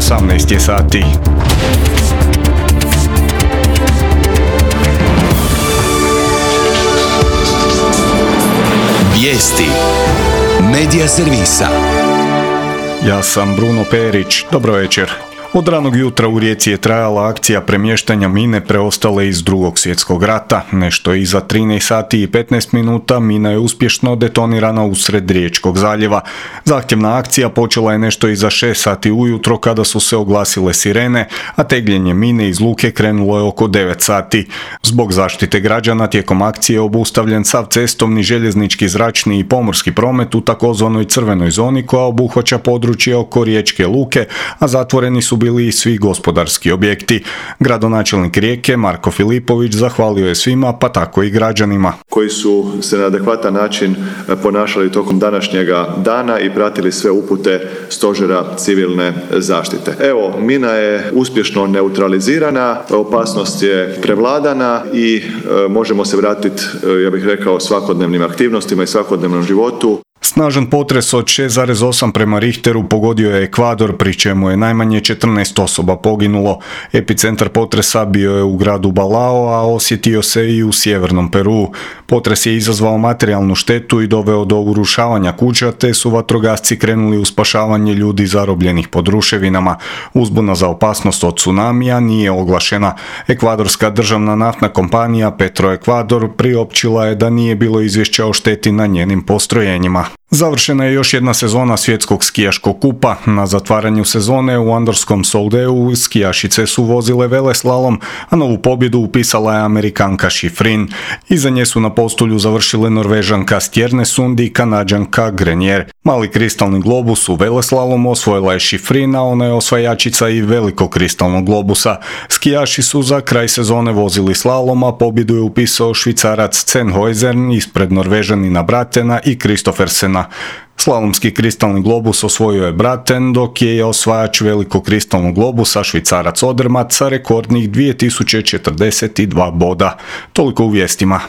18 je sati. Vijesti Medija servisa. Ja sam Bruno Perić, dobro večer. Od ranog jutra u Rijeci je trajala akcija premještanja mine preostale iz Drugog svjetskog rata. Nešto iza 13 sati i 15 minuta mina je uspješno detonirana usred Riječkog zaljeva. Zahtjevna akcija počela je nešto iza 6 sati ujutro kada su se oglasile sirene, a tegljenje mine iz luke krenulo je oko 9 sati. Zbog zaštite građana tijekom akcije je obustavljen sav cestovni, željeznički, zračni i pomorski promet u takozvanoj crvenoj zoni koja obuhvaća područje oko Riječke luke, a zatvoreni su bili i svi gospodarski objekti. Gradonačelnik Rijeke Marko Filipović zahvalio je svima, pa tako i građanima, koji su se na adekvatan način ponašali tokom današnjega dana i pratili sve upute Stožera civilne zaštite. Evo, mina je uspješno neutralizirana, opasnost je prevladana i možemo se vratiti, ja bih rekao, svakodnevnim aktivnostima i svakodnevnom životu. Snažan potres od 6,8 prema Richteru pogodio je Ekvador, pri čemu je najmanje 14 osoba poginulo. Epicentar potresa bio je u gradu Balao, a osjetio se i u sjevernom Peruu. Potres je izazvao materijalnu štetu i doveo do urušavanja kuća, te su vatrogasci krenuli u spašavanje ljudi zarobljenih pod ruševinama. Uzbuna za opasnost od tsunamija nije oglašena. Ekvadorska državna naftna kompanija Petroekvador priopćila je da nije bilo izvješća o šteti na njenim postrojenjima. Završena je još jedna sezona svjetskog skijaškog kupa. Na zatvaranju sezone u Andorskom Soldeu skijašice su vozile veleslalom, a novu pobjedu upisala je Amerikanka Schifrin. Iza nje su na postolju završile Norvežanka Stjernesund i Kanađanka Grenier. Mali kristalni globus u veleslalomu osvojila je Schifrin, a ona je osvajačica i velikog kristalnog globusa. Skijaši su za kraj sezone vozili slalom, a pobjedu je upisao Švicarac Sennhuysen ispred Norvežanina Bratena i Kristoffersena. Slalomski kristalni globus osvojio je Braten, dok je osvajač velikog kristalnog globusa Švicarac Odermatt sa rekordnih 2042 boda. Toliko u vijestima.